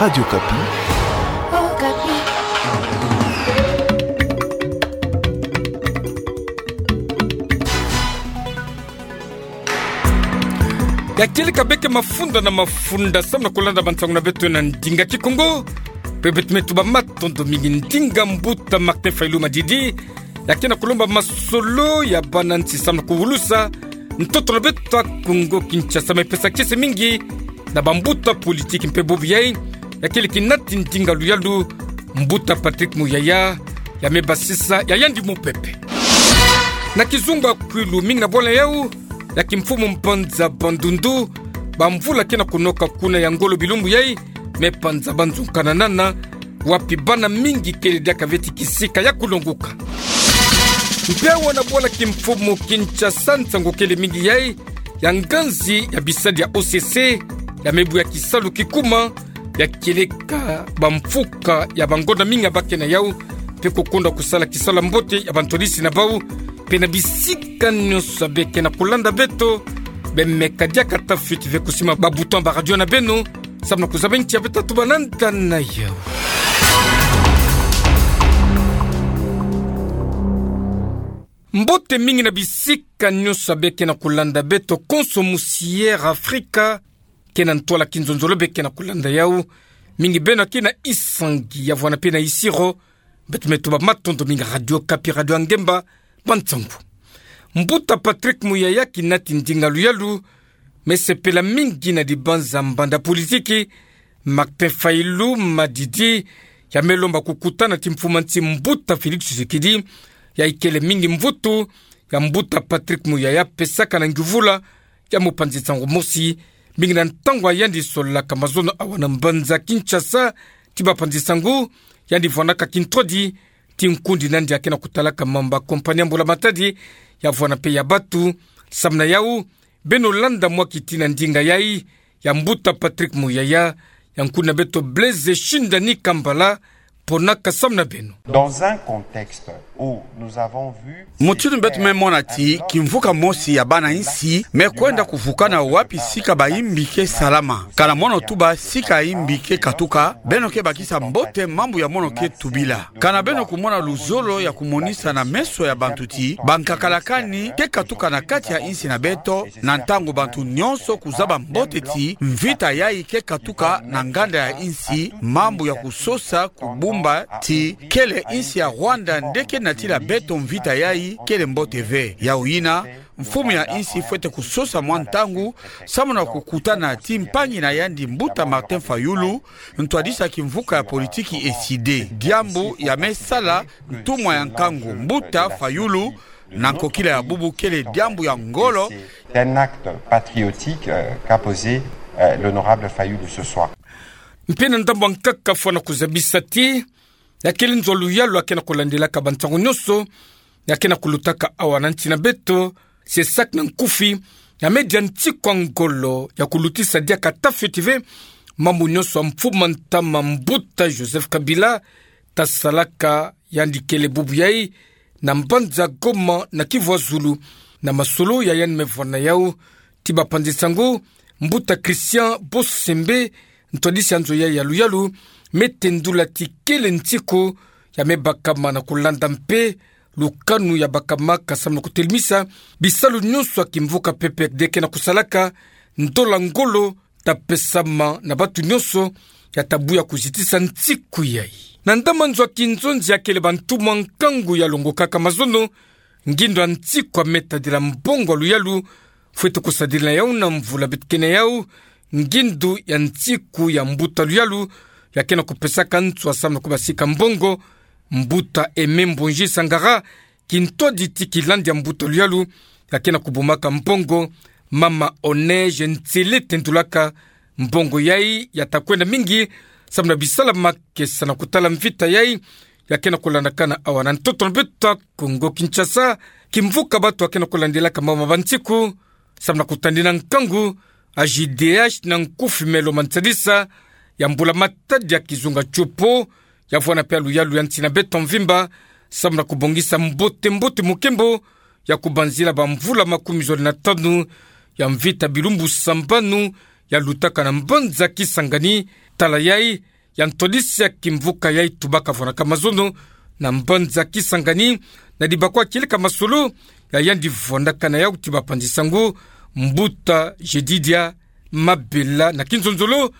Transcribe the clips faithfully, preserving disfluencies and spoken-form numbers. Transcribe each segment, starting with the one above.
Radio Okapi. Ya kele ka beke mafunda na mafunda samu na kulanda bansangu na beto na ndinga Kikongo. Pe beto me tuba matondo mingi ndinga mbuta Martin Fayulu Madidi, ya ke na kulomba masolo ya bana nsi samu na kuwulusa ntoto na beto ya Kongo Kinshasa, me pesa kiese mingi na bambuta politiki mpe bobo yai, ya kele kinati ndinga luyalu, mbuta Patrick Muyaya, ya me basisa ya yandi mupepe. Na kizunga kwilu mingi na bwala yau, ya kimfumu mpanza Bandundu, bamvula ke na kunoka kuna ya ngolo bilumbu yai, me panza banzunkananana, wapi bana mingi kele diaka veti kisika ya kulonguka. Mpe awa na bwala kimfumu Kinshasa nsangu kele mingi yai, ya nganzi ya bisadi ya O C C, ya me buya kisalu kikuma, ya kieleka bamfuka ya bangonda mingi ya ba ke na yau, mpe kukonda kusala kisalu ya mbote ya bantwadisi na bau, mpe na bisika nyonso ya be ke na kulanda beto, be meka diaka tafiti ve kusima ba bouton ba radio na beno, samu na kuzaba nki ya be tatuba na nda na yau. Mbote mingi na bisika nyonso ya be ke na kulanda beto, konso musi Air Afrika, ke na ntwala kinzonzolo be ke na kulanda yau. Mingi beno ke na Isangi ya vwanda mpe na Isiro, beto me tuba matondo mingi Radio Okapi, radio ya ngemba, bansangu. Mbuta Patrick Muyaya, kinati ndinga luyalu, me sepela mingi na dibanza mbanda politiki, Martin Fayulu Madidi, ya me lomba kukutana ti mfumu a nsi mbuta Félix Tshisekedi, ya ikele mingi mvutu ya mbuta Patrick Muyaya pesaka na nguvula ya mopanzi nsangu mosi, mingi na ntangu ya yandi solaka mazono awa na mbanza Kinshasa, ti bapanzi nsangu, yandi vwandaka kintwadi ti nkundi na yandi ya ke na kutalaka mambu ya kompani ya mbula matadi, ya vwanda mpe ya batu, samu na yau, beno landa mwa kitina ndinga yai, ya mbuta Patrick Muyaya, ya nkundi na beto Blaise Shindani Kambala, ponaka samu na beno. Dans un contexte où nous avons vu... Mutindu beto me mona ti kimvuka mosi ya bana insi me kwenda kuvukana wapi sika bayimbi ke salama. Kana mono tuba sika yimbi ke katuka, beno ke bakisa mbote mambu ya mono ke tubila. Kana beno kumona luzolo ya kumonisa na meso ya bantu ti bankakalakani ke katuka na kati ya insi na beto, na ntangu bantu nyonso kuzaba mbote ti mvita yai ke katuka na nganda ya insi, mambu ya kusosa kubumba ti kele insi ya Rwanda nde ke natila beto mvita yai, kele mbote ve. Yau yina, mfumu ya insi fwete kusosa mwa ntangu, samu na kukutana ti mpangi na yandi mbuta Martin Fayulu, ntwadisi ya kimvuka ya politiki ECIDE. Diambu ya me sala ntumwa ya nkangu mbuta Fayulu, na nkokila ya bubu kele diambu ya ngolo. C'est un acte patriotique, euh, qu'a posé, euh, l'honorable Fayulu ce soir. Mpe na ndambu ya nkaka fwana kuzabisa ti, ya kele nzo luyalu ya ke na kulandelaka bansangu nyonso ya ke na kulutaka awa na nsi na beto, CESAC na nkufi, ya me dia nsiku ya ngolo ya kulutisa diaka tafiti ve mambu nyonso ya mfumu a ntama mbuta Joseph Kabila, ta salaka yandi kele bubu yai, na mbanza Goma na Kivu ya Zulu, na masolo ya yandi me vwanda yau, ti bapanzi nsangu, mbuta Christian Bosembe, ntwadisi ya nzo yai ya luyalu, me tendula ti kele nsiku ya me bakama na kulanda mpe lukanu ya bakamaka samu na kutelemisa bisalu nyonso ya kimvuka P P R D ke na kusalaka, ndola ngolo ta pesama na batu nyonso, ya ta buya kuzitisa nsiku yai. Na ndambu nzo ya kinzonzi ya kele bantumwa nkangu ya longokaka mazono, ngindu ya nsiku ya me tadila mbongo ya luyalu fwete kusadila yau na mvula beto ke na yau, ngindu ya nsiku ya mbuta luyalu ya ke na kupesaka nswa samu na kubasika mbongo, mbuta Aimé Mbonji Sangara, kintwadi ti kilandi ya mbuta luyalu ya ke na kubumaka mbongo, mama Oneige Nsele tendulaka mbongo yai ya ta kwenda mingi samu na bisalu ya makesa na kutala mvita yai ya ke na kulandakana awa na ntoto na beto ya Kongo Kinshasa. Kimvuka batu ya ke na kulandelaka mambu ma bansiku samu na kutandina nkangu, A J D H na nkufi me lomba nsadisa ya mbula matadi ya kizunga tiopo, ya vwanda mpe ya luyalu ya nsi na beto mvimba, samu na kubongisa mbote mbote mukembo ya kubanzila bamvula makumi zole na tanu ya mvita bilumbu sambanu ya lutaka na mbanza Kisangani, tala yai, ya ntwadisi ya kimvuka yai tubaka vwanaka mazono na mbanza Kisangani, na dibakwa kieleka masolo ya yandi vwanaka na yau ti bapanzi sango, Mbuta Jedidia Mabela, na kinzonzolo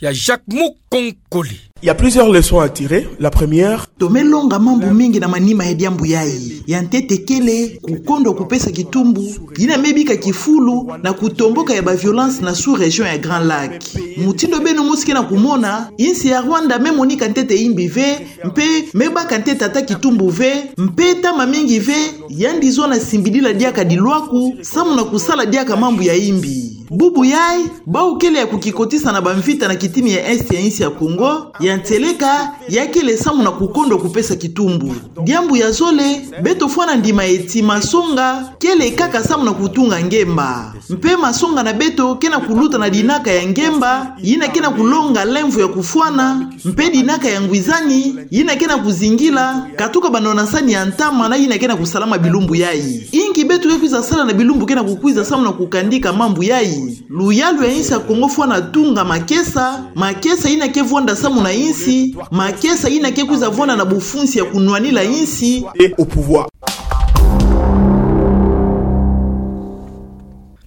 ya Jacques Mukonkole. Il y a plusieurs leçons à tirer. La première, tomilonga mambu mingi na manima ya diambu yai. Ya ntete kele, kukondwa kupesa kitumbu, yina mibika kifulu na kutomboka ya ba violence na sous-région ya Grand Lac. Mutindu beno mosi ke na kumona, insi ya Rwanda mimonika ntete imbi ve, mpe mibaka ntete ata kitumbu ve, mpe ntama mingi ve, yandi zono simbidila diaka dilwaku, samu na kusala diaka mambu ya imbi. Bubu yai, bau kele ya kukikotisa na bamvita na kitini ya Est ya insi ya Kongo, ya ntieleka, ya kele samu na kukondwa kupesa kitumbu. Diambu ya zole, beto fwana ndima eti masonga, kele kaka samu na kutunga ngemba. Mpe masonga na beto ke na kuluta na dinaka ya ngemba, yina ke na kulonga lemvo ya kufwana, mpe dinaka ya ngwizani, yina ke na kuzingila, katuka banona sani ya ntama na yina ke na kusalama bilumbu yai. Inki beto ke kwiza sala na bilumbu ke na kukwiza samu na kukandika mambu yai? Luyalu ya insi ya Kongo fwana tunga makesa, makesa yina ke vwanda samu na insi, makesa yina ke kwiza vwanda na bufunsi ya kunwanila insi. Et au pouvoir.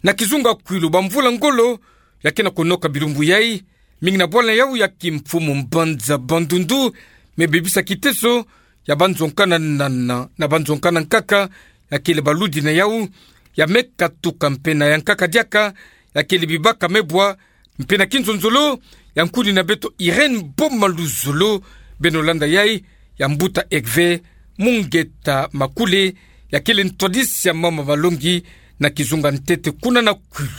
Na kizunga kwilu bamvula ngolo, ya ke na kunoka bilumbu yai, mingi na bwala yau ya kimfumu mbanza Bandundu, me bebisa kiteso ya banzonka na nana, na banzonka na nkaka, ya kele baludi na yau, ya me katuka mpe na ya nkaka diaka, ya kele bibaka mebwa, mpe na kinzonzolo, ya nkuni na beto Irène Boma Luzolo, beno landa yai, ya mbuta Hervé Mungeta Makule, ya kele ntwadisi ya mama malongi, na kizunga ntete kuna na kwilu.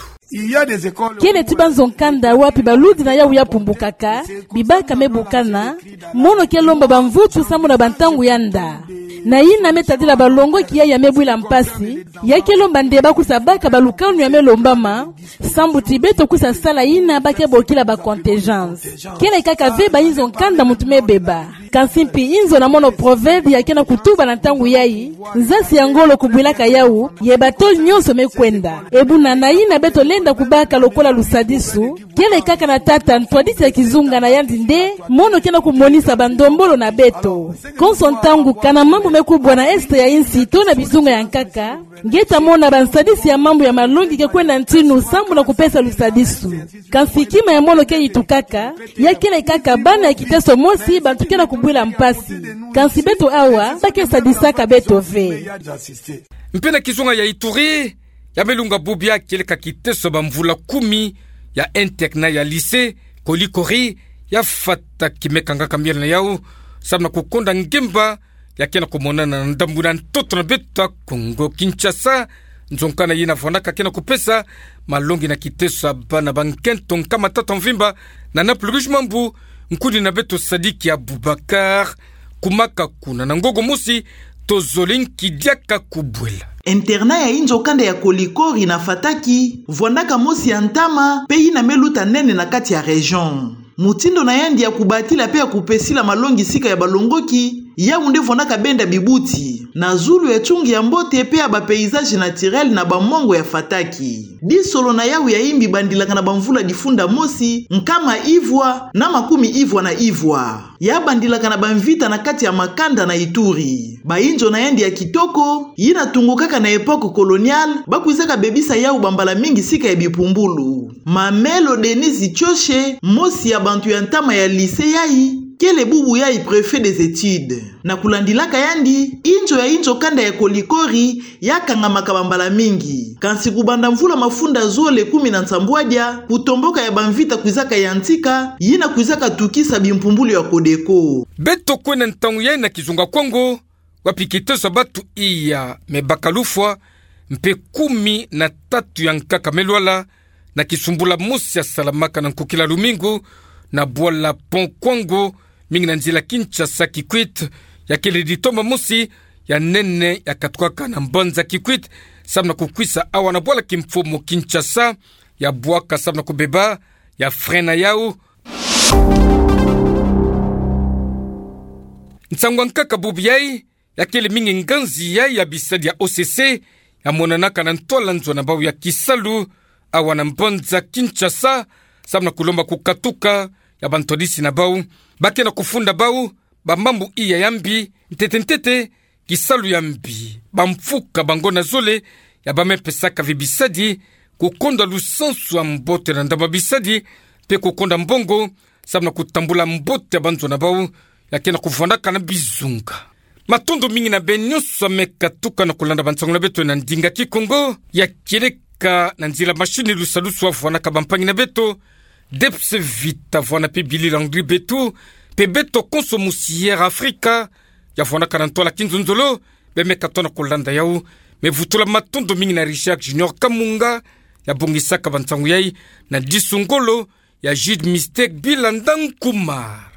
Kele ti banzonka nda wapi baludi na yau ya pumbukaka, bibaka me bukana, mono ke lomba bamvutu samu na bantangu ya nda. Na yina me tadila balongoki yai ya me bwila mpasi, ya ke lomba nde ba kwiza baka balukanu ya me lombama, sambu ti beto kwiza sala yina ba ke bokila ba contingence. Kele kaka ve bayinzo nka nda muntu me beba. Kansi mpi inzo na mono proverbe ya ke na kutuba na ntangu yai, nzasi ya ngolo kubwilaka yau, ye bato nyonso me kwenda. E buna na yina beto lenda kubaka lokola lusadisu, kele kaka na tata ntwadisi ya kizunga na yandi nde, mono ke na kumonisa bandombolo na beto. Konso ntangu kana mambu me kubwa na Est ya insi to na bizunga ya nkaka, nge ta mona bansadisi ya mambu ya malongi ke kwenda ntinu samu na kupesa lusadisu. Kansi kima ya mono ke yitukaka, ya kele kaka bana ya kiteso mosi bantu ke na kubwila mpasi. Kansi beto awa, ba ke sadisaka beto ve. Mpe na kizunga ya Ituri, ya me lunga bubu ya kieleka kiteso bamvula kumi ya internat ya lycée Kolikori, ya fata ki me kangaka miel na yau, samu na kukonda ngemba, ya ke na kumonana na ndambu na ntoto na beto ya Kongo Kinshasa, nzonka na yina vwanaka ke na kupesa malongi na kiteso ya bana ba nkento nkama tata mvimba, na Naples Rouge Mambu, nkuni na beto Sadiki Abubakar, kumaka kuna na ngogo mosi, tozoleki diaka kubwela. Internat ya inzo kanda ya Kolikori na Fataki, vwandaka mosi ya ntama, mpe yina me luta nene na kati ya région. Mutindu na yandi ya kubatila mpe ya kupesila malongi sika ya balongoki, yau nde vwandaka benda bibuti na zulu ya tsungi ya mbote mpe ya ba paysages naturels na bamwango ya Fataki. Disolo na yau ya imbi bandilaka na bamvula difunda mosi, nkama ivwa, na makumi ivwa na ivwa. Ya bandilaka na bamvita na kati ya makanda na Ituri. Bayinzo na yandi ya kitoko, yina tungukaka na époque coloniale, ba kwizaka bebisa yau bambala mingi sika ya bipumbulu. Mamelo Denise Tshoshe, mosi ya bantu ya ntama ya lycée yai, kele bubu yai préfet des études. Na kulandilaka yandi, inzo ya inzo kanda ya Kolikori, ya kangamaka bambala mingi. Kansi kubanda mvula mafunda zole kumi na nsambwadia, kutomboka ya bamvita kwizaka yantika, yina kwizaka tukisa bimpumbulu ya Codeco. Beto kwenda ntangu yai na kizunga Kongo, wapi kiteso ya batu iya me baka lufwa, mpe kumi na tatu ya nkaka me lwala, na kisumbula mosi ya salamaka na nkukila lumingu, na bwala Pont Kwango, mingi na nzila Kinshasa Kikwit, ya kele ditoma mosi ya nene ya katukaka na mbanza Kikwit, samu na kukwisa awa na bwala kimfumu Kinshasa, ya bwaka samu na kubeba, ya frein na yau. Nsangu ya nkaka bubu yai, ya kele mingi nganzi yai ya bisadi ya O C C, ya monanaka na ntwala nzo na bau ya kisalu, awa na mbanza Kinshasa, samu na kulomba kukatuka ya bantwadisi na bau, bakena kufunda bau bamambu iya ya mbi, ntete ntete, kisalu ya mbi, bamfuka, bangona zole, ya bamepesaka vi bisadi, kukonda lusansu ya mbote na ndambu ya bisadi, mpe kukonda mbongo, samu na kutambula mbote ya banzo na bau, ya kena kuvwandaka na bizunga. Matondo mingi na beno nyonso ya mekatuka na kulanda bansangu na beto na ndinga Kikongo, ya kieleka na nzila mashini lusalusu wavwanaka bampangi na beto, Debs Vita vwana mpe Billy Landry Betu, mpe beto konso mu Sierra Africa, ya vwanaka na ntwala kinzonzolo, bemeka tona kulanda yau. Me vutula matondo mingi na Richard Junior Kamunga, ya bongisaka bansangu yai, na disu ngolo ya Jude Mistake Bilanda Nkumar.